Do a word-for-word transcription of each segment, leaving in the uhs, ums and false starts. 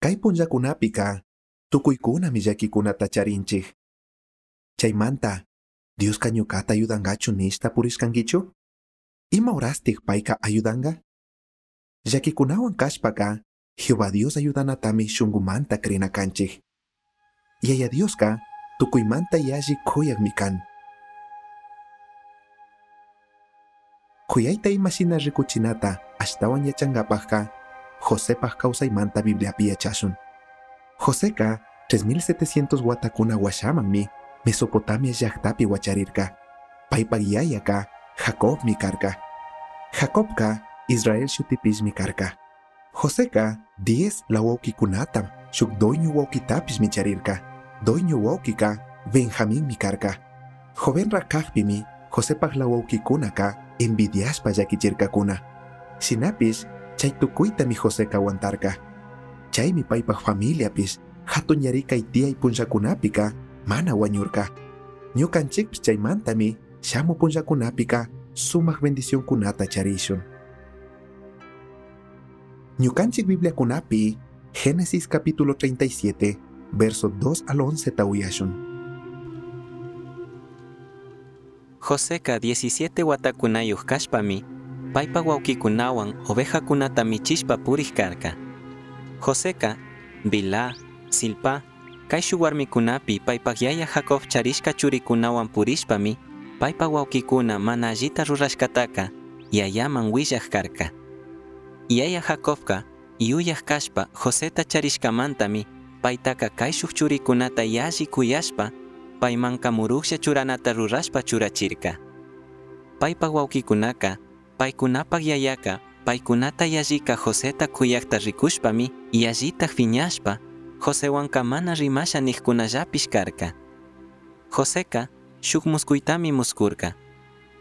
Kay punllakunapika tukuykunami llakikunata charinchik. Chaymanta, Dioska ñuqata ayudangachu nishta purishkankichu? Ima horastik payka ayudanga? Llakikunawan kashpaka, Jehová Dios ayudanatami shunkumanta crina kanchik. Yaya Dioska tukuymanta yalli kuyakmi kan. Kuyayta imashina rikuchinata ashtawan yachankapajka, Josepaj kawsaymanta Bibliapi yachashun. Joseca tres mil setecientos watakuna washamanmi Mesopotamia llaqtapi wacharirka. Paypaq yayaka Jacobmi karka. Jacobka Israel shutipishmi karka. Joseca diez lawawkikunatam shuk doño wawkitapishmi charirka. Doño wawkika Benjaminmi karka. Jovenra kaqpimi Josepaj lawawkikunaka envidiashpa llakichirkakuna. Shinapish chay tukuytami Joseca aguantarka. Chaymi paypaj familiapish hatun yarikay tiyay punllakunapika mana wañurka. Ñukanchikpish chaymantami shamu punllakunapika sumaq bendicionkunata charishun. Ñukanchik Bibliakunapi Génesis capítulo treinta y siete, verso dos al once tawiyashun. Joseca diecisiete watakunayuq kashpami paypa wawkikunawan ovejakunata michishpa puriq karka. Joseca, Bilá, Zilpá, kayshu warmikunapi paypaq yaya Jacob charishka churikunawan purishpami paypa wawkikuna mana allita rurashkataka yayaman willaq karka. Yaya Jacobka yuyaq kashpa Joseta charishkamantami paytaka kayshuq churikunata yalli kuyashpa paymanka muruqlla churanata rurashpa churachirka. Paypaq wawkikunaka paykunapaq yayaka paykunata yallika Joseta kuyaqta rikushpami yallitaq phiñashpa Josewanka mana rimasha niqkunallapish karka. Joseca shuk muskuytami muskurka.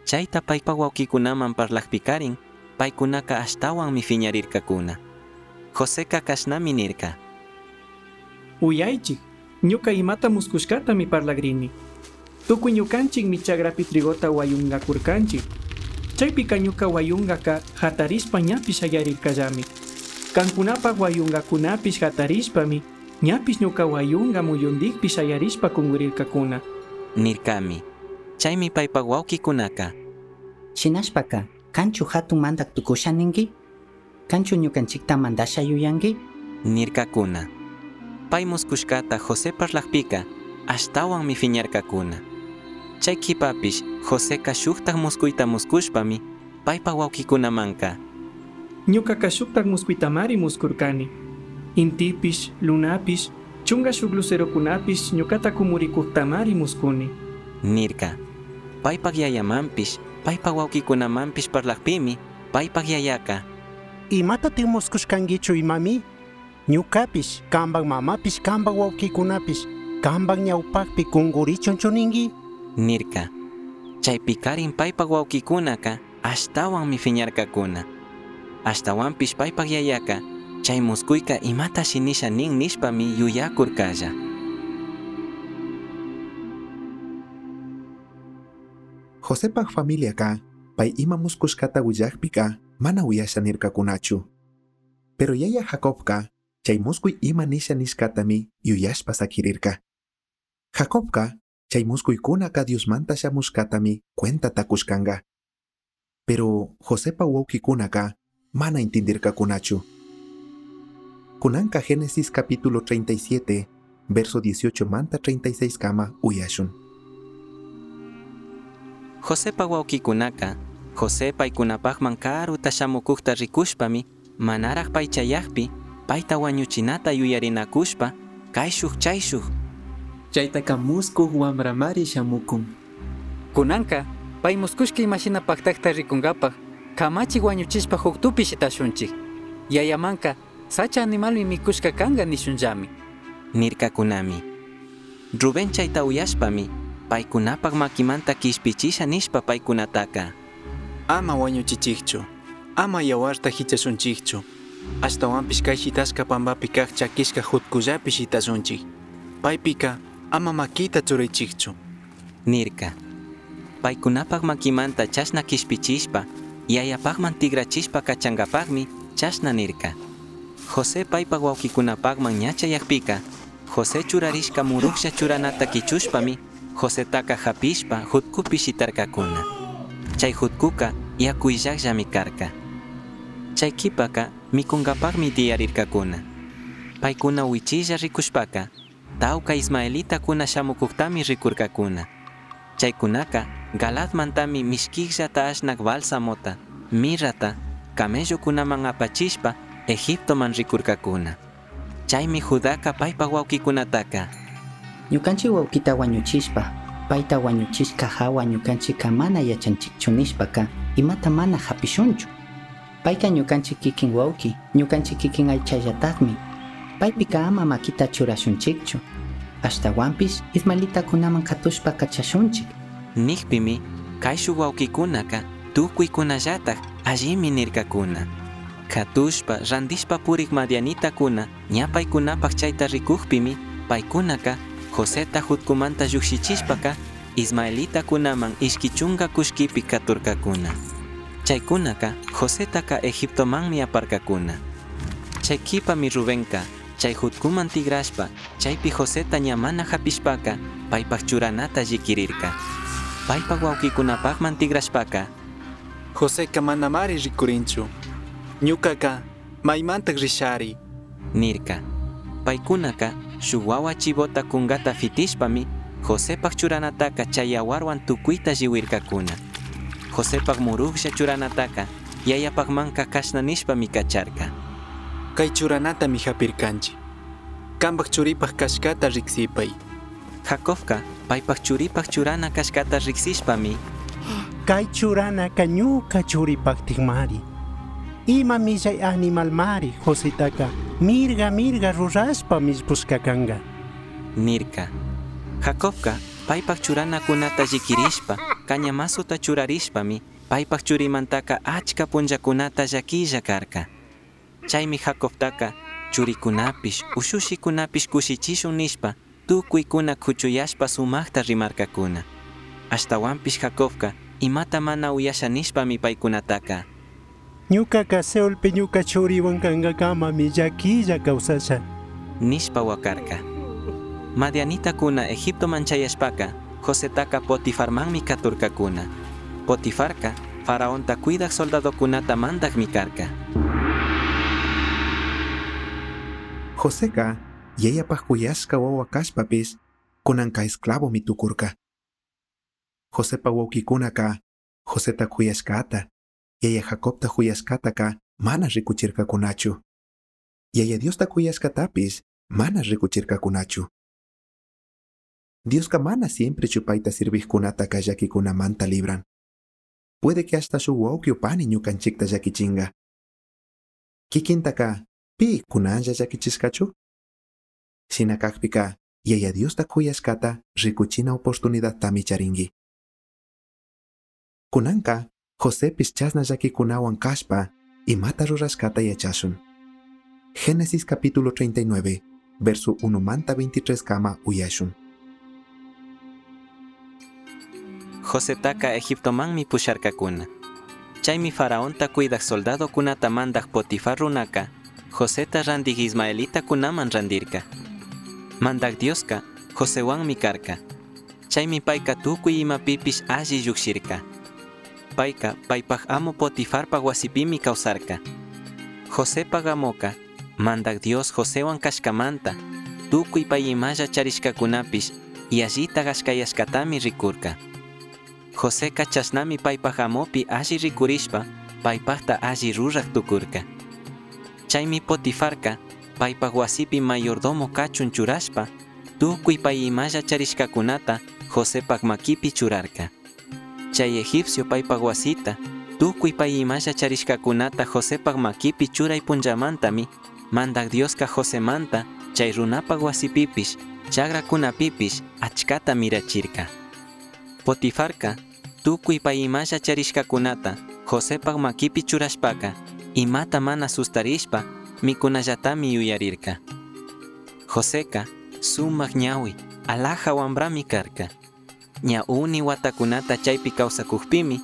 Chayta paypa wawkikunaman parlaqpikarin paykunaka ashtawanmi phiñarirkakuna. Joseca kashnami nirka. Uyaychik, ñuka imata muskushkatami parlagrini. Tukuy ñukanchikmi chakrapi trigota wayungakurkanchik. Chaypika ñuka wayungaka hatarishpa ñapish shayarirkallami. Kankunapaq wayungakunapish hatarishpami ñapish ñuka wayunga muyundikpi shayarishpa kungurirkakuna. Nirkami. Chaymi paypa wawkikunaka. Shinashpaka, kanchu hatun mandak tukusha ninki? Kanchu ñukanchikta mandasha yuyanki? Nirkakuna. Pay muskushkata José parlaqpika ashtawanmi phiñarkakuna. Chay kipapish Joseca shuktaq muskuyta muskushpami paypa wawkikunamanka. Ñukaka shuktaq muskuytamari muskurkani. Intipish, lunapish, chunga shuk lucerokunapish ñukata kumurikuktamari muskuni. Nirka. Paypaq yayamanpish, paypa wawkikunamanpish parlaqpimi paypaq yayaka. Imatatik muskushkankichu imami? Ñukapish, kanpak mamapish, kanpak wawkikunapish, kanpak ñawpaqpi kunkurichunchu ninki? Nirka. Chaypikarin paypaq wawkikunaka ashtawanmi phiñarkakuna. Ashtawanpish paypaq yayaka chay muskuyka imatashi nisha nin nishpami yuyakurkalla. Josepaj familiaka pay ima muskushkata willaqpika mana uyasha nirkakunachu. Pero yaya Jacobka chay muskuy ima nisha nishkatami yuyashpa sakirirka. Jacobka chay muskuykunaka Diosmanta shamushkatami cuentata kushkanka. Pero Josepa wawkikunaka mana intindirkakunachu. Kunanka Génesis capítulo treinta y siete, verso dieciocho manta treinta y seis kama uyashun. Josepa wawkikunaka, José paykunapaqman karuta shamukuqta rikushpami, manaraq paychayaqpi, payta wañuchinata yuyarinakushpa, kayshuq chayshuq. Chaytaka muskuq wamramari shamukun. Kunanka, pay muskushka imashina paqtaqta rikunkapaq, kamachi wañuchishpa huktupi shitashunchik. Yayamanka, sacha animalmi mikushka kanka nishunllami. Nirkakunami. Rubén chayta uyashpami, paykunapaq makimanta kishpichisha nishpa paykunataka. Ama wañuchichikchu, ama yawarta hichashunchikchu. Ashtawanpish kay shitashka pampapi kaq chakishka hutkullapi shitashunchik. Paypika ama makita churaychikchu. Nirka. Paykunapaq makimanta chashna kishpichishpa, yayapaqman tigrachishpa kachankapaqmi chashna nirka. José paipaj huauquicunapajman ña chayajpica, José churarishca murujlla churanata quichushpami Josetaca japishpa jutcupi shitarcacuna. Chai jutcuca yacu illajllami carca. Chai quipaca micungapajmi tiyarircacuna. Paicuna huichilla ricushpaca, tauca ismaelitacuna shamucujtami ricurcacuna. Chaicunaca Galaadmantami mishquijllata ashnaj bálsamota, mirrata, camellocunaman apachishpa Egiptoman ricurcacuna. Chaimi Judaca paipaj huauquicunataca: Ñukanchik huauquita huañuchishpa, paita huañuchishca jahua ñukanchikca mana yachanchikchu nishpaca imata mana japishunchu. Paica ñukanchik kikin huauqui, ñukanchik kikin aychallatajmi. Paipica ama maquita churashunchikchu. Ashtahuanpish ismaelitacunaman catushpa cachashunchik. Nijpimi caishuj huauquicunaca tucuicunallataj allimi nircacuna. Catushpa randishpa purij madianitacuna ña paicunapaj chaita ricujpimi paicunaca Joseta jutcumanta llujshichishpaca ismaelitacunaman ishqui chunga cullquipi caturcacuna. Chaicunaca Josetaca Egiptomanmi aparcacuna. Chai quipami Rubenca chai jutcuman tigrashpa chaipi Joseta ña mana japishpaca paipaj churanata lliquirirca. Paipaj huauquicunapajman tigrashpaca: Joseca manamari ricurinchu. Ñucaca maimantaj rishari. Nirca. Paicunaca shuj huahua chivota cungata fitishpami Josepaj churanataca chai yahuarhuan tucuita llihuircacuna. Josepaj murujlla churanataca yayapajmanca cashna nishpami cacharca: Cai churanatami japircanchik. Cambaj churipaj cashcata riksipai. Jacobca paipaj churipaj churana cashcata riksishpami: Cai churanaka ñuca churipajtikmari. Ima millai animalmari Josetaka mirga mirga rurashpa millpushca canga. Nirca. Jacobca paipaj churanacunata lliquirishpa cañamasuta churarishpami paipaj churimantaka achca punllacunata llaquilla carca. Chaimi Jacobtaca churicunapish ushushicunapish cushichishun nishpa tucuicuna cuchuyashpa sumajta rimarcacuna. Ashtahuanpish Jacobca imata mana uyasha nishpami paicunataca: Ñucaca Seolpi ñuca churihuan cangakamami llaquilla causasha. Nishpa huacarca. Madianitacuna Egiptoman chayashpaca Josetaca Potifarmanmi caturcacuna. Potifarca faraonta cuidaj soldadocunata mandajmi carca. Joseca yayapaj cuyashca wawa kashpapish kunanka esclavomi tukurka. Josepa wawqikunaka Joseta kuyashkata, yaya Jacobta kuyashkataka mana rikuchirkakunachu. Yaya Diosta kuyashkatapish mana rikuchirkakunachu. Dioska mana siempre chupayta sirvijkunataka llakikunamanta libran. Puede que hasta su wawqi o pani ñukanchikta llakichinga. Kikintaka pi kunanlla llakichishkachu? Shina kakpika yaya Diosta kuyashkata rikuchina oportunidadtami charinki. Kunanka Josepish chasna llakikunawan kashpa imata rurashkata yachashun. Génesis capítulo treinta y nueve, verso uno manta veintitrés kama uyashun. Josetaka Egiptomanmi pusharkakuna. Chaymi faraonta cuidaj soldadokunata mandaj Potifar runaka Joseta randij ismaelitakunaman randirka. Mandaj Dioska Josewanmi karka. Chaymi payka tukuy imapipish alli llukshirka. Payka paypaj amo Potifarpaj wasipimi kawsarka. Josepaj amoka Mandaj Dios Josewan kashkamanta tukuy pay imalla charishkakunapish yallita kashkayashkatami rikurka. Joseca chashnami paypaj amopi alli rikurishpa paypajta alli ruraj tukurka. Chaymi Potifarka paypaj wasipi mayordomo kachun churashpa tukuy pay imalla charishkakunata Josepaj makipi churarka. Chay egipcio paypaj wasita tukuy pay imalla charishkakunata Josepaj makipi churay punllamantami Mandaj Dioska Josemanta chay runapaj wasipipish chagrakunapipish achkata mirachirka. Potifarka tukuy pay imalla charishkakunata Josepaj makipi churashpaka imata mana sustarishpa mikunallatami yuyarirka. Joseka sumak ñawi alaja wambrami karka. Ña uni watakunata chaypi kawsakukpimi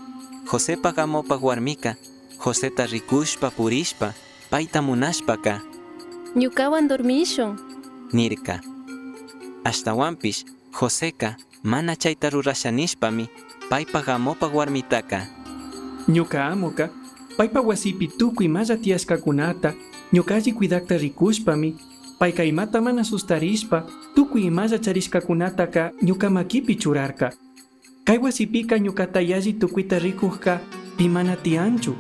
Josepaj amopaj warmika Joseta rikushpa purishpa payta munashpaka: Ñukawan dormishun. Nirka. Ashtawanpish Joseca mana chayta rurasha nishpami paypaj amopaj warmitaka. Ñuka amoka paypa wasipi tukuy imalla tiyashkakunata ñuka alli cuidakta rikushpami payka imata mana sustarishpa tukuy imalla charishkakunataka ñuka makipi churarka. Kay wasipika ñukata yalli tukuyta rikujka pi mana tiyanchu.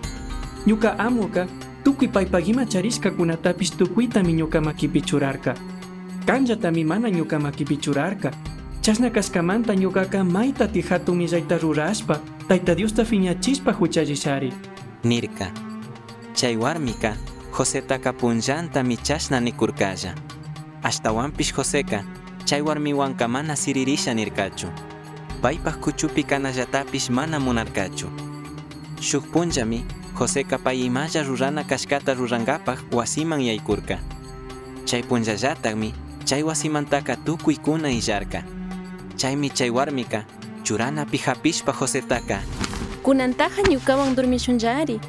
Ñuka amoka tukuy paypaj ima charishkakunatapish tukuytami ñuka makipi churarka. Kanllatami mana ñuka makipi churarka. Chashna kashkamanta ñukaka maytati hatun millayta rurashpa Tayta Diosta fiñachishpa huchallishari. Nirka. Chay warmika Josetaka punllantami chashna nikurkalla. Ashtawanpish Joseka chay warmiwanka mana siririsha nirkachu. Paypaj kuchupi kanallatapish mana munarkachu. Shuk punllami Joseka pay imalla rurana kashkata rurankapaj wasiman yaykurka. Chay punllallatakmi chay wasimantaka tukuykuna illarka. Chaymi chay warmika churanapi hapishpa Josetaka. Kunantaja ñukawan dormishunllari.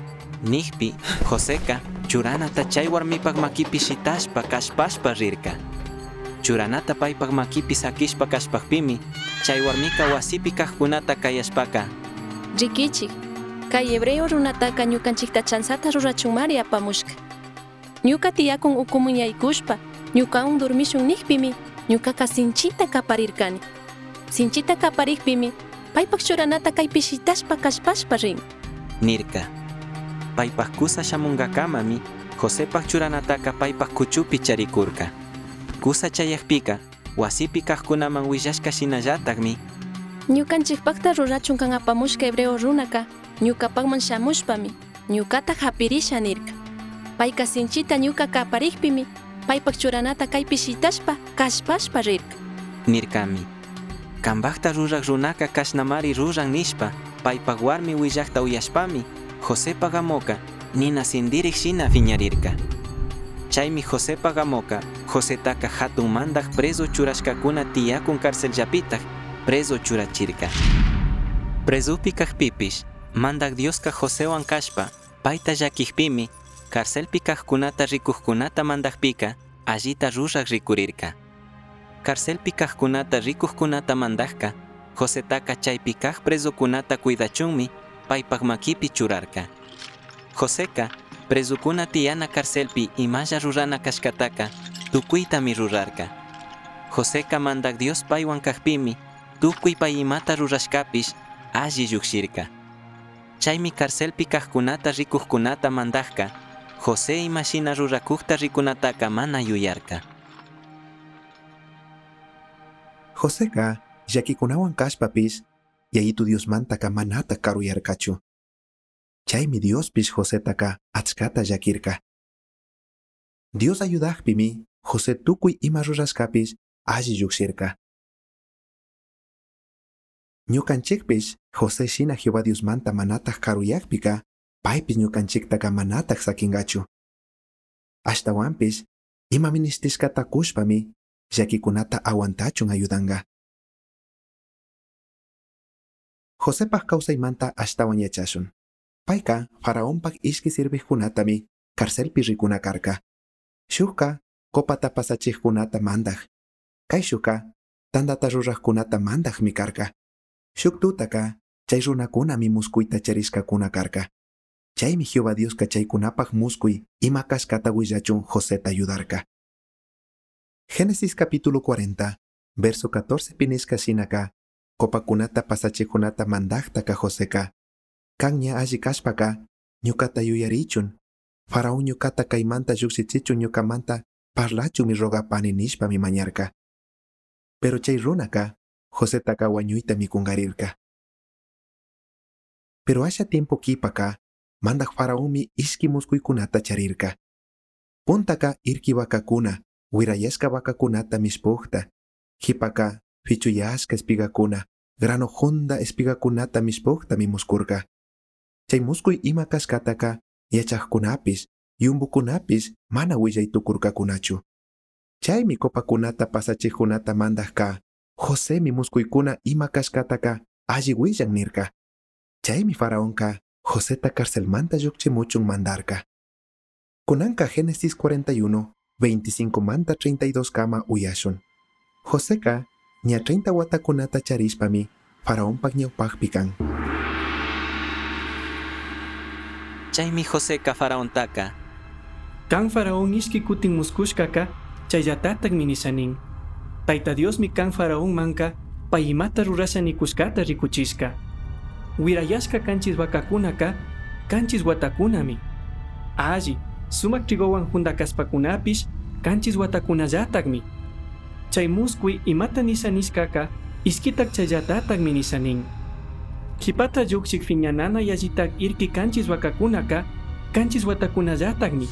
Nijpi Joseka churanata chay warmipaj makipi shitashpa kashpashpa rirka. Churanata paypaj makipi sakishpa kashpajpimi chay warmika wasipi kajkunata kayashpaka. Rikichik, kay hebreo runataka ñukanchikta chansata rurachunmari apamushka. Ñuka tiyakun ukumun yaykushpa ñukawan dormishun nijpimi ñukaka sinchita kaparirkani. Sinchita kaparikpimi paypaj churanata kaypi shitashpa kashpashpa rin. Nirka. Paypaj kusa shamunkakamami Josepaj churanataka paypaj kuchupi charikurka. Kusa chayakpika wasipi kajkunaman willashka shinallatakmi Ñukanchikpakta rurachun kan apamushka hebreo runaka ñukapakman shamushpami ñukata hapirisha nirka. Payka sinchita ñuka kaparikpimi paypaj churanata kaypi shitashpa kashpashpa rirka. Nirkami. Kambakta ruraj runaka kashnamari ruran nishpa paypaj warmi willakta uyashpami Josepaj amoka nina sindirik shina fiñarirka. Chaymi Josepaj amoka Josetaka hatun mandaj preso churashkakuna tiyakun carcelllapitaj preso churachirka. Presupi kajpipish mandak Dioska Josewan kashpa payta llakijpimi carcelpi kajkunata rikujkunata mandajpika allita ruraj rikurirka. Carcelpi kajkunata rikujkunata mandajka Josetaka chaypi kaj presokunata cuidachunmi paypaj makipi churarka. Joseka presukuna tiyana carcelpi imalla rurana kashkataka tukuytami rurarka. Joseka mandak Dios paywan kajpimi tukuy pay imata rurashkapish alli llukshirka. Chaymi carcelpi kajkunata rikujkunata mandajka José imashina rurakujta rikunataka mana yuyarka. Joseka llakikunawan kashpapish yayitu Diosmantaka manata karuyarkachu. Chaymi Diospish Josetaka achkata llakirka. Dios ayudajpimi José tukuy ima rurashkapish alli llukshirka. Ñukanchikpish José shina Jehová Diosmanta manataj karuyakpika paypish ñukanchiktaka manataj sakingachu. Ashtawanpish ima ministishkata kushpami llakikunata aguantachun ayudanga. Josepaj kawsaymanta ashtawan yachashun. Payka faraonpaj ishki sirvijkunatami carcelpi rikuna karka. Shukka copata pasachijkunata mandaj. Kayshukka tandata rurajkunata mandajmi karka. Shuk tutaka chay runakunami muskuyta charishkakuna karka. Chaymi Jehová Dioska chaykunapaj muskuy ima kashkata willachun Joseta ayudarka. Génesis capítulo cuarenta, verso catorce pinishka shinaka, copakunata pasachijkunata mandajtaka Joseka. Kan ña alli kashpaka, ñukata yuyarichun. Faraón ñukata kaymanta llukshichichun ñukamanta parlachunmi rogapani nishpami mañarka. Pero chay runaka, Josetaka wañuyta mikungarirka. Pero asha tiempo kipaka, mandaj faraonmi ishki muskuykunata charirka. Puntaka irki vakakuna, wirayashka vakakunata mishpukta, hipaka fichuyashka espigakuna, grano junda espigakunata mishpuktami muskurka. Chay muskuy ima kashkataka yachajkunapis, yumbukunapis mana willay tukurkakunachu. Chaymi copakunata pasachijkunata mandajka, Josemi muskuykuna ima kashkataka alli willan nirka. Chaymi faraonka Joseta carcelmanta llukchimuchun mandarka. Kunanka Génesis cuarenta y uno, veinticinco manta treinta y dos kama uyashun. Joseca ña treinta watakunata charishpami faraonpak ñawpakpi kan. Chaymi Joseca faraontaka. Kan faraón ishki kutin muskushkaka chayllatataqmi nishanin. Tayta Diosmi kan faraón manka pay imata rurasha nikushkata rikuchishka. Wirayashka kanchis vacakunaka kanchis watakunami. Alli, sumak trigowan hundakaspakunapish kanchis watakunallataqmi. Chay muskuy imata nisha nishkaka iskitak chayllatataqmi nishanin. Qhipata lluqshiq phiñanana yallitak irqi kanchis vacakunaka kanchis watakunallataqmi.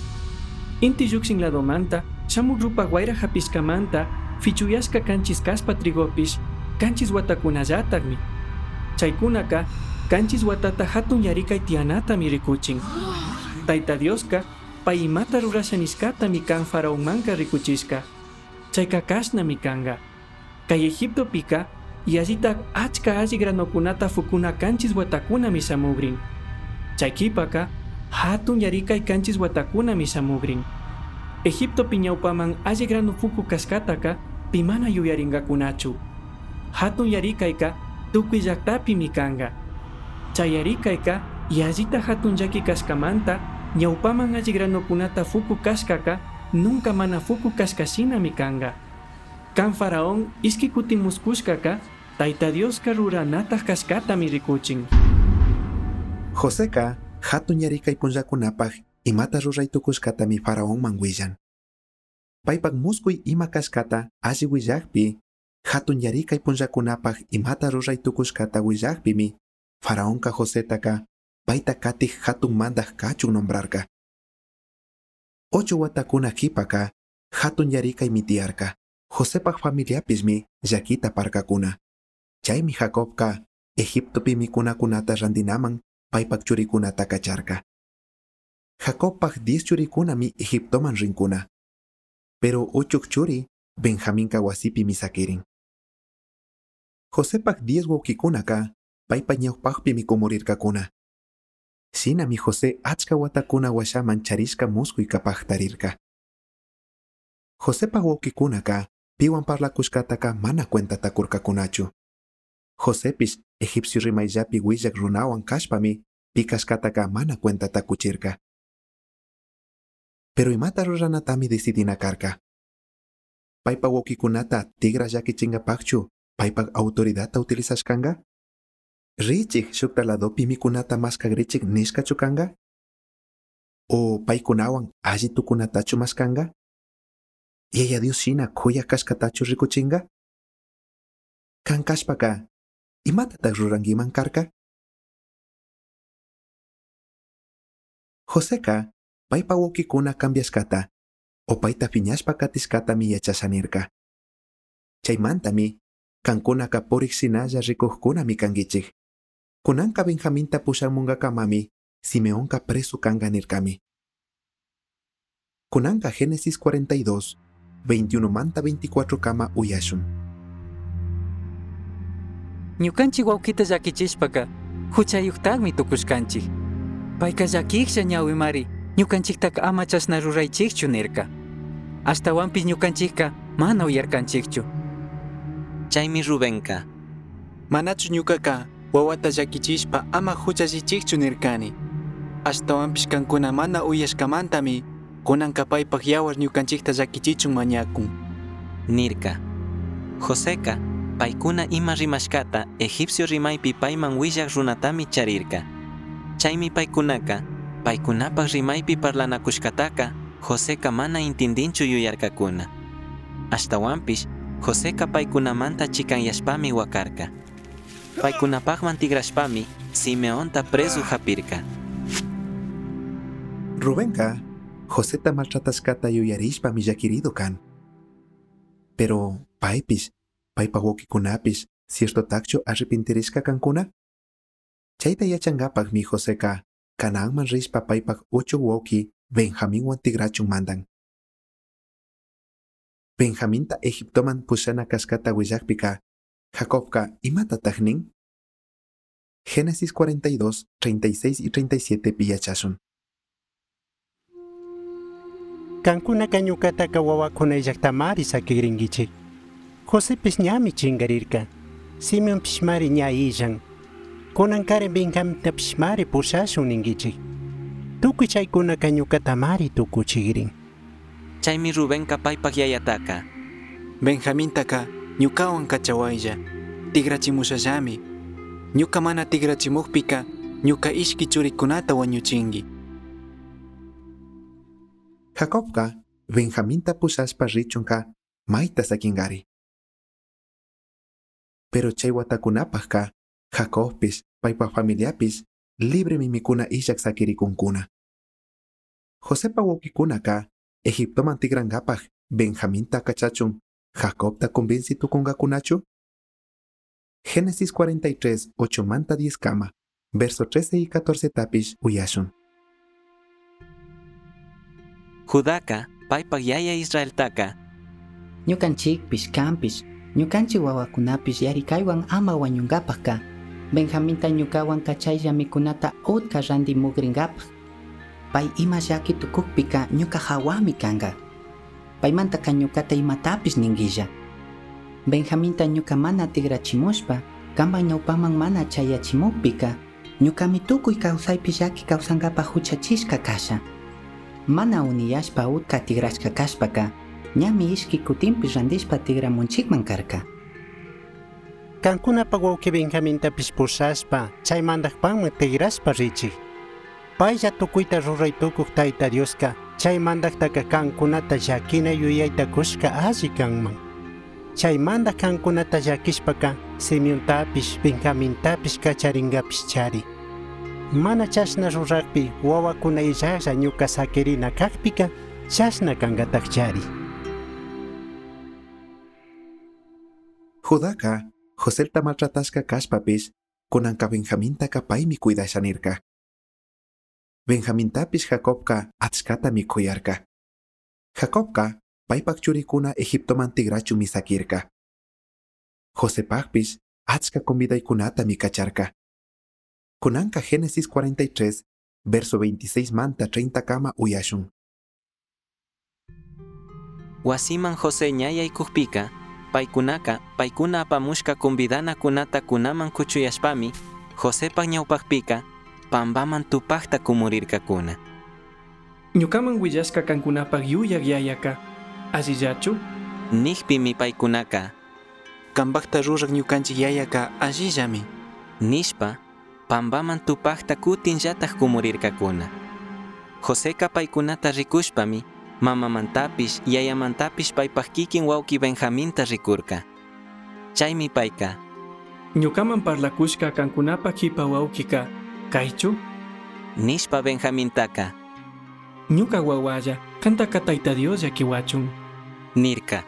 Inti lluqshin ladomanta shamuq rupaq wayra hapishkamanta fichuyashka kanchis kaspa trigopish kanchis watakunallataqmi. Chaykunaka kanchis watata hatun yarikay tiyanatami rikuchin. Tayta Dioska pay imata rurasha nishkatami kan faraonmanka rikuchishka. Chayka kashnami kanka. Kay Egiptopika yallitak achka alli granokunata fukuna kanchis watakunami shamugrin. Chay qhipaka hatun yarikay kanchis watakunami shamugrin. Egiptopi ñawpaman alli grano fuku kashkataka pimana yuyarinkakunachu. Hatun yarikayka tukuy llaqtapimi kanka. Chay yarikayka yallita hatun llaki kashkamanta ñawpaman alli granokunata fuku kashkaka nunca mana fuku kashkashinami kanka. Kan faraón ishki kutin muskushkaka Tayta Dioska ruranataq kashkatami rikuchin. Joseca hatun yarikay punllakunapaq imata ruray tukushkatami faraonman willan. Paypak muskuy ima kashkata alli willakpi, hatun yarikay punllakunapaq imata ruray tukushkata willakpimi, faraonka Josetaka payta katij hatun mandaj kachun nombrarka. Ocho watakuna qhipaka hatun yarikaymi tiyarka. Josepaj familiapismi llakita parkakuna. Chaymi Jacobka Egiptopi mikunakunata rantinaman paypak churikunata kacharka. Jacobpaj diez churikunami Egiptoman rinkuna. Pero uchuk churi Benjaminka wasipimi sakirin. Josepaj diez wawqikunaka paypa ñawpaqpimi kumurirkakuna. Shinami José achka watakuna washaman charishka muskuyka paqtarirka. Josepaj wawqikunaka piwan parlakushkataka mana cuentata kurkakunachu. Josepish egipcio rimayllapi willak runawan kashpami pi kashkataka mana cuentata kuchirka. Pero imata ruranatami decidina karka. Paypa wawqikunata tigra llakichinkapaqchu paypak autoridadta utilizashkanka? Richik shukta ladopi mikunata mashkagrichik nishkachu kanka? O paykunawan alli tukunatachu mashkanka? Yaya Dios shina khuyak kashkatachu rikuchinka? Kan kashpaka, imatataq rurankiman karka? Joseca paypa wawqikuna cambiashkata o payta phiñashpa katishkatami yachasha nirka. Chaymantami kankunaka purik shinalla rikujkunami kankichik. Kunanka Benjaminta pushamunkakamami Simeonka preso kanka nirkami. Kunanka Génesis cuarenta y dos, veintiuno manta veinticuatro kama uyashun. Ñukanchik wawqita llakichishpaka huchayuqtaqmi tukushkanchik. Payka llakijlla ñawimari ñukanchiktaka ama chashna ruraychikchu nirka. Ashtawanpis ñukanchikka mana uyarkanchikchu. Chaymi Rubenka. Manachu ñukaka wawata llakichishpa ama huchallichikchu nirkani. Ashtawanpis kankuna mana uyashkamantami kunanka paypak yawar ñukanchikta llakichichun mañakun. Nirka. Joseca paykuna ima rimashkata egipcio rimaypi payman willaq runatami charirka. Chaymi paykunaka paykunapaq rimaypi parlanakushkataka Joseca mana intindinchu yuyarkakuna. Ashtawanpish Joseca paykunamanta chikanyashpami wakarka. Paykunapaqman tigrashpami Simeonta preso hapirka. Rubenka Joseta maltratashkata yuyarishpami llakirido kan. Pero paypish, paypa wawqikunapish ciertotaqchu arrepintirishka kankuna? Chayta yachankapaqmi Joseca Canaanman rishpa paypak uchuk wawqi Benjaminwan tigrachun mandan. Benjaminta Egiptoman pushana kashkata willakpika Jacobka imatataq nin? Génesis cuarenta y dos, treinta y seis y treinta y siete pi yachashun. Kankunaka ñukataka wawakuna llaktamari sakigrinkichik. Josepish ñami chingarirka. Simeonpish mari ña illan. Kunankarin Benjamintapish mari pushashun ninkichik. Tukuy chaykunaka ñukatamari tukuchigrin. Chaymi Rubenka paypak yayataka. Benjamintaka ñukawan kachawaylla. Tigrachimushallami. Ñuka mana tigrachimukpika ñuka ishki churikunata wañuchinki. Jacobka Benjaminta pushashpa richunka mayta sakinkari. Pero chay watakunapajka Jacobpish paypak familiapish libremi mikuna illak sakirikunkuna. Josepa wawkikunaka Egiptoman tikrankapaj Benjaminta kachachun Jacobta convenci tukunkakunachu? Génesis cuarenta y tres, ocho manta diez kama, verso trece y catorce tapish uyashun. Judaka, paypak yaya Israeltaka. Ñukanchikpish kanpish, ñukanchik wawakunapish yarikaywan ama wañunkapajka, Benjaminta ñukawan kachaylla mikunata utka rantimukrinkapaj. Pay ima llaki tukukpika ñuka hawami kanka. Paymantaka ñukata imatapish ninkilla. Benjaminta ñuka mana tigrachimushpa, kanpak ñawpaman mana chayachimukpika, ñukami tukuy kawsaypi llaki kawsankapaj huchachishka kasha. Mana uniyashpa utka tigrashka kashpaka, ñami ishki kutinpi rantishpa tigramunchikman karka. Kankunapak wawqi Benjamintapish pushashpa, chay mandakpanman tigrashpa richik. Paylla tukuyta ruray tukuq Tayta Dioska, chay mandaktaka kankunata llakina yuyayta kushka alli kanman. Chay mandak kankunata llakishpaka, Simeontapish, Benjamintapish kacharinkapish chari. Mana chashna rurakpi wawakuna illalla ñuka sakirina kakpika, chashna kankatak chari. Judaka, Joselta maltratashka kashpapish, kunanka Benjamintaka paymi cuidasha nirka. Benjamintapish Jacobka achkatami kuyarka. Jacobka paypak churikuna Egiptoman tigrachunmi sakirka. Josepakpish achka convidaykunatami kacharka. Kunanka Génesis cuarenta y tres, verso veintiséis manta treinta kama uyashun. Wasiman José ñayaykukpika, paykunaka, paykuna apamushka convidanakunata kunaman kuchuyashpami, Josepak ñawpakpika, pambaman tupakta kumurirkakuna. Ñukaman willashka kankunapak yuyak yayaka, allillachu? Nikpimi paykunaka, Kanpakta rurak ñukanchik yayaka allillami. Nishpa, pambaman tupakta kutinllatak kumurirkakuna. Joseka paykunata rikushpami, mamamantapish, yayamantapish paypak kikin wawki Benjaminta rikurka. Chaymi payka, Ñukaman parlakushka kankunapak kipa wawkika, kaychu? Nishpa Benjamintaka, Ñuka wawalla, kantaka Tayta Dios llakiwachun. Nirka.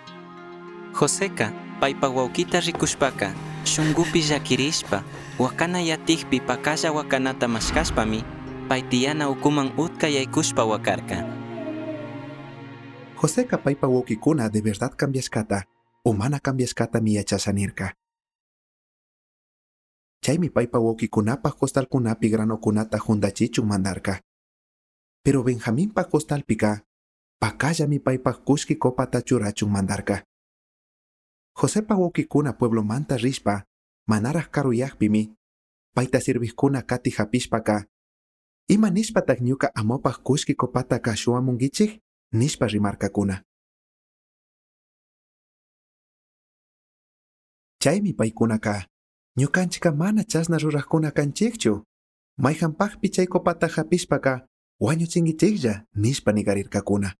Joseka, paypak wawkita rikushpaka, shunkupi llakirishpa, wakana yatikpi pakalla wakanata mashkashpami, pay tiyana ukuman utka yaykushpa wakarka. Joseka paypa wawkikuna de verdad cambiashkata o mana cambiashkatami yachasha nirka. Chaymi paypa wawkikunapaj costalkunapi granokunata juntachichun mandarka. Pero Benjaminpa costalpika, pakallami paypaj kushki copata churachun mandarka. Josepa wawkikuna pueblomanta rishpa, manaraj karuyakpimi, payta sirvijkuna kati hapishpaka, ima nishpatak ñuka amopaj kushki copataka shuwamunkichik? Nishpa rimarkakuna. Chaymi paykunaka, ñukanchika mana chashna rurajkuna kanchikchu. Mayhanpakpi chay copata hapishpaka, wañuchinkichiklla, nishpa nigarirkakuna.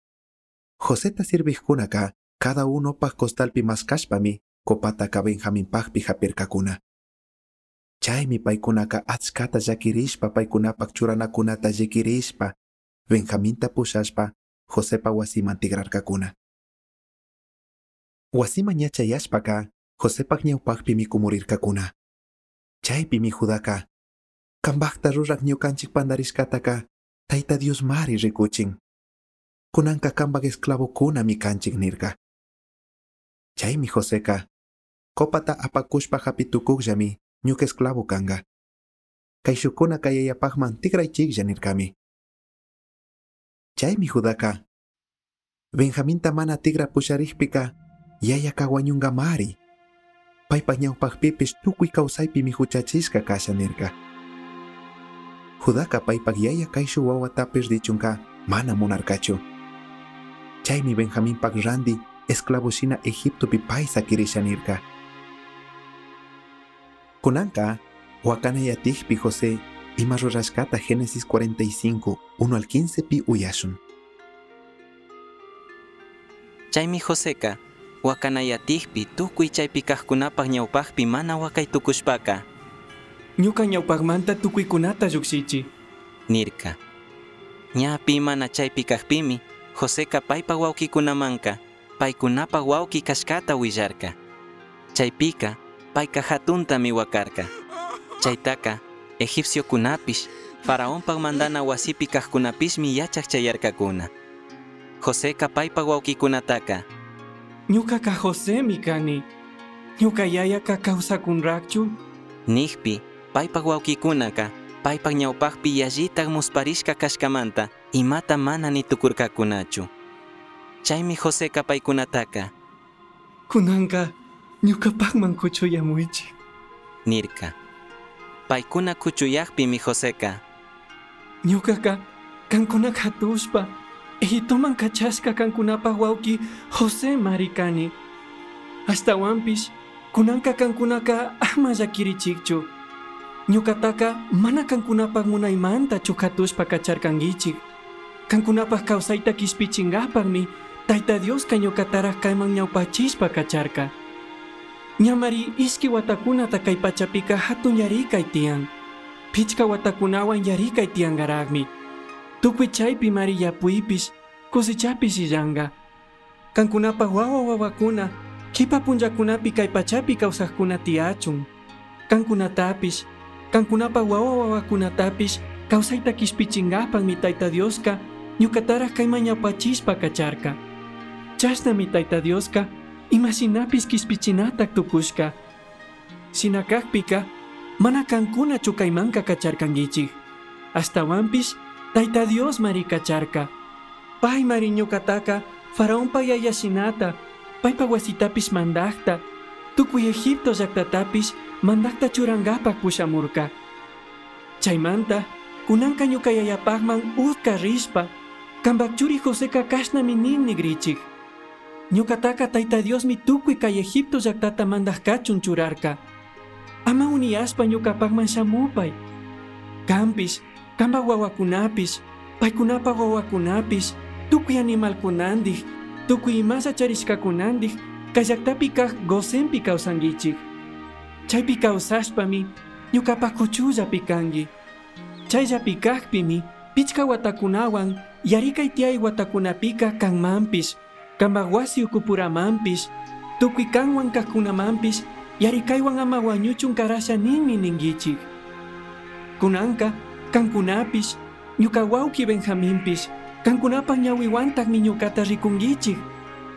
Joseta sirvijkunaka, cada unopaj costalpi maskashpami, copataka Benjaminpakpi hapirkakuna. Chaymi paykunaka achkata llakirishpa paykunapak churanakunata llikirishpa, Benjaminta pushashpa, Josepa wasiman tigrarkakuna. Wasiman ñachayashpaka, Josepak ñawpakpimi kumurirkakuna. Chaypimi Judaka, kanpakta rurak ñukanchik pandarishkataka, Tayta Dios mari rikuchin. Kunanka kanpak esclavokunami kanchik nirka. Chaymi Joseka, copata apakushpa hapitukukllami ñuka esclavo kanka. Kayshukuna kayayapakman tikraychiklla nirkami. Chaymi Judaka, Benjaminta mana tigra pusharijpica yayaca huañungamari. Paypaj ñawpajpipish tukuy kawsaypimi huchachishka kasha nirka. Judaka paypaj yaya kayshu wawatapish richunka mana munarkachu. Chaymi Benjaminpak randi esclavo shina Egiptopi pay sakirisha nirka. Kunanka wakanayatikpi José ima rurashkata Génesis cuarenta y cinco, uno al quince pi uyashun. Chaymi Joseca wakanayatikpi tukuy chaypi kajkunapaj ñawpajpi mana wakay tukushpaka. Ñuka ñawpajmanta tukuykunata llukshichi. Nirka. Ña pi mana chaypi kajpimi Joseca paypa wawkikunamanka paykunapa wawki kashkata willarka. Chaypika payka hatuntami wakarka. Chaytaka egipciokunapish faraonpaj mandana wasipi kajkunapishmi yachaj chayarkakuna. Joseca paypa wawkikunataka Ñukaka Josemi kani. Ñuka yayaka kawsakunrakchu. Nijpi paypaj wawkikunaka paypaj ñawpajpi yallitaj musparishka kashkamanta imata mana nitukurkakunachu. Chaymi Joseca paykunataka Kunanka ñukapajman kuchuyamuychik. Nirka. Paykuna kuchuyajpimi Joseca Ñukaka kankuna hatushpa Egiptoman kachashka kankunapaj wawki José mari kani. Ashtawanpish kunanka kankunaka ama llakirichikchu. Ñukataka mana kankunapaj munaymantachu hatushpa kacharkankichik. Kankunapaj kawsayta kishpichinkapakmi Tayta Dioska ñukataraj kayman ñawpachishpa kacharka. Ñamari ishki watakunata kay pachapika hatun yarikay tiyan. Pichka watakunawan yarikay tiyankaraqmi. Tukuy chaypi mari yapuypish kusichapish illanka. Kankunapaj wawa wawakuna kipa punllakunapi kay pachapi kawsaqkuna tiyachun. Kankunatapish, kankunapaj wawa wawakunatapish kawsayta kishpichinkapakmi Tayta Dioska ñukataraj kayman ñawpachishpa kacharka. Chashnami Tayta Dioska imashinapish kishpichinatak tukushka. Shina kakpika mana kankunachu kaymanka kacharkankichik. Ashtawanpish Tayta Dios mari kacharka. Pay mari ñukataka faraonpa yayashinata, paypa wasitapish mandakta, tukuy Egipto llaqtatapish mandakta churankapak pushamurka. Chaymanta kunanka ñuka yayapajman utka rishpa, kanpak churi Joseca kashnami nin nigrichik. Ñukataka Tayta Diosmi tukuy kay Egipto llaqtata mandaj kachun churarka. Ama uniyashpa ñukapajman shamupay. Kanpish, kanpak wawakunapish, paykunapa wawakunapish, tukuy animalkunandik, tukuy imalla charishkakunandik, kay llaqtapi kaj Gosenpi kawsankichik. Chaypi kawsashpami ñukapaj kuchullapi kanki. Chayllapi kajpimi pichka watakunawan yarikay tiyay watakunapika kanmanpish, kanpak wasi ukupuramanpish, tukuy kanwan kajkunamanpish yarikaywan ama wañuchun karasha ninmi ninkichik. Kunanka kankunapish, ñuka wawki Benjaminpish, kankunapaj ñawiwantakmi ñukata rikunkichik.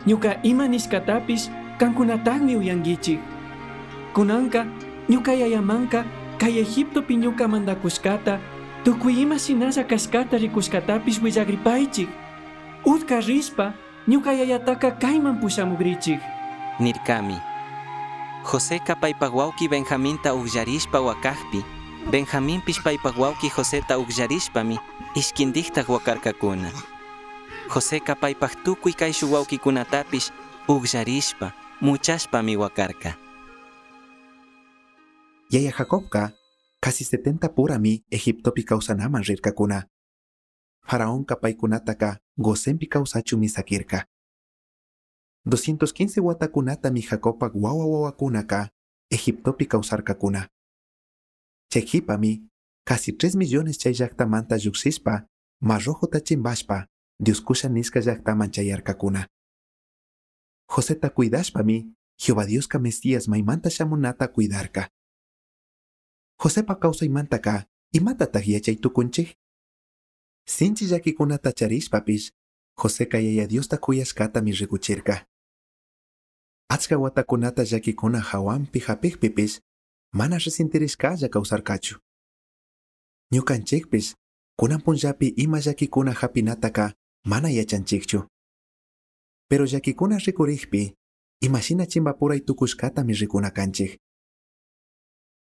Ñuka ima nishkatapish kankunatakmi uyankichik. Kunanka ñuka yayamanka kay Egiptopi ñuka mandakushkata, tukuy ima shinalla kashkata rikushkatapish willagripaychik. Utka rishpa ñuka yayataka kayman pushamugrichik. Nirkami. Joseca paypaj wawki Benjaminta ukllarishpa wakajpi, Benjaminpish paypaj wawki Joseta ukllarishpami ishkindiktaj wakarkakuna. Joseca paypaj tukuy kayshu wawkikunatapish ukllarishpa muchashpami wakarka. Yaya Jacobka casi setenta purami Egiptopi kawsanaman rirkakuna. Faraonka paykunataka Gosenpi kawsachunmi sakirka. doscientos quince watakunatami Jacobpak wawa wawakunaka Egiptopi kawsarkakuna. Chay qhipami casi tres millones chay llaqtamanta lluqsispa Mar Rojota chimpashpa Dios kusha nisqa llaqtaman chayarkakuna. Joseta cuidashpami Jehová Dioska Mesías maymanta shamunata cuidarka. Josepa kawsaymantaka imatataq yachay tukunchik? Sinchi llakikunata charishpapish Joseca yaya Diosta kuyashkatami rikuchirka. Achka watakunata llakikuna hawanpi hapikpipish mana resintirishkalla kawsarkachu. Ñukanchikpish kunan punllapi ima llakikuna hapinataka mana yachanchikchu. Pero llaquicuna ricurijpi, imashina chimbapuray tukushkatami rikuna kanchik.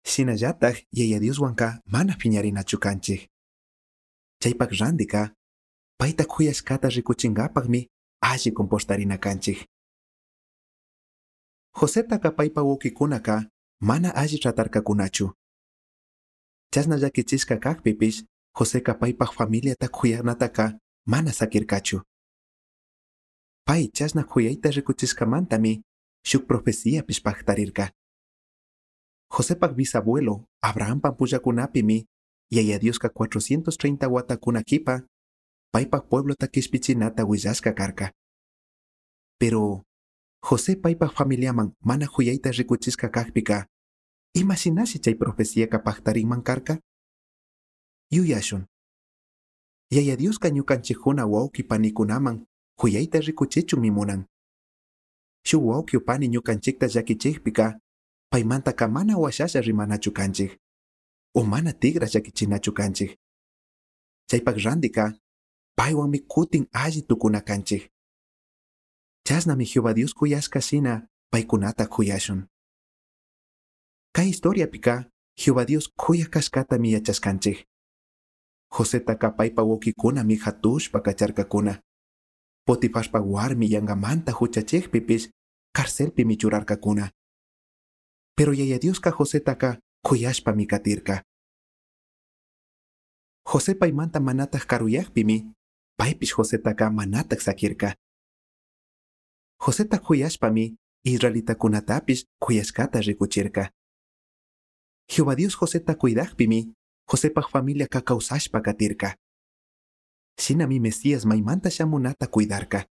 Shinallataj Yaya Dioswanka mana piñarinachu kanchik. Chaypak randika, payta kuyashkata rikuchinkapakmi alli comportarina kanchik. Josetaka paypa wawqikunaka mana alli tratarkakunachu. Chashna llakichishka kakpipish Joseca paypaj familiata kuyanataka mana sakirkachu. Pay chashna kuyayta rikuchishkamantami shuk profeciapish paktarirka. Josepak bisabuelo Abrahampa pullakunapimi Yaya Dioska cuatrocientos treinta watakuna kipa paypak pueblota kishpichinata willashka karka. Pero José paypak familiaman mana kuyayta rikuchishka kakpika, imashinashi chay profeciaka paktarinman karka? Yuyashun. Yaya Dioska ñukanchikkuna wawqi panikunaman kuyayta rikuchichunmi munan. Shuk wawqi o pani ñukanchikta llakichikpika, paymantaka mana washasha rimanachu kanchik, o mana tigra llakichinachu kanchik. Chaypak randika, paywanmi kutin alli tukuna kanchik. Chashnami Jehová Dios kuyashka shina paykunata kuyashun. Kay historiapika, Jehová Dios kuyak kashkatami yachashkanchik. Josetaka paypa wawqikunami hatushpa kacharkakuna. Potifarpa warmi yangamanta huchachikpipish carcelpimi churarkakuna. Pero Yaya Dioska Josetaka kuyashpami katirka. José paymanta manataj karuyakpimi, paypish Josetaka manataj sakirka. Joseta kuyashpami israelitakunatapish kuyashkata rikuchirka. Jehová Dios Joseta cuidakpimi, Josepaj familiaka kawsashpa katirka. Shinami Mesías maymanta shamunata cuidarka.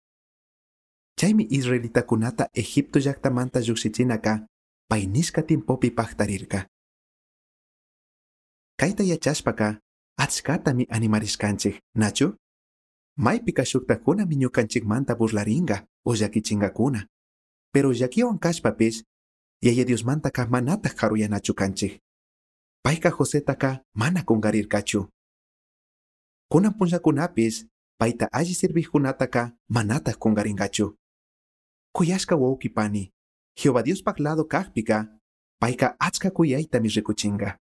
Chaymi israelitakunata Egipto llaktamanta lluqshichinaka pay nishka tiempopi paktarirka. Kayta yachashpaka achkatami animarishkanchik, nachu? Maypika shuktakunami ñukanchikmanta burlaringa o llakichinkakuna. Pero llakiwan kashpapish, Yaya Diosmantaka manataj karuyanachu kanchik. Payka Josetaka mana kungarirkachu. Kunan punllakunapis, payta alli sirvijkunataka manataj kungarinkachu. Kuyashka wawqi pani, Jehová Diospaj lado kajpika, payka achka kuyaytami rikuchinka.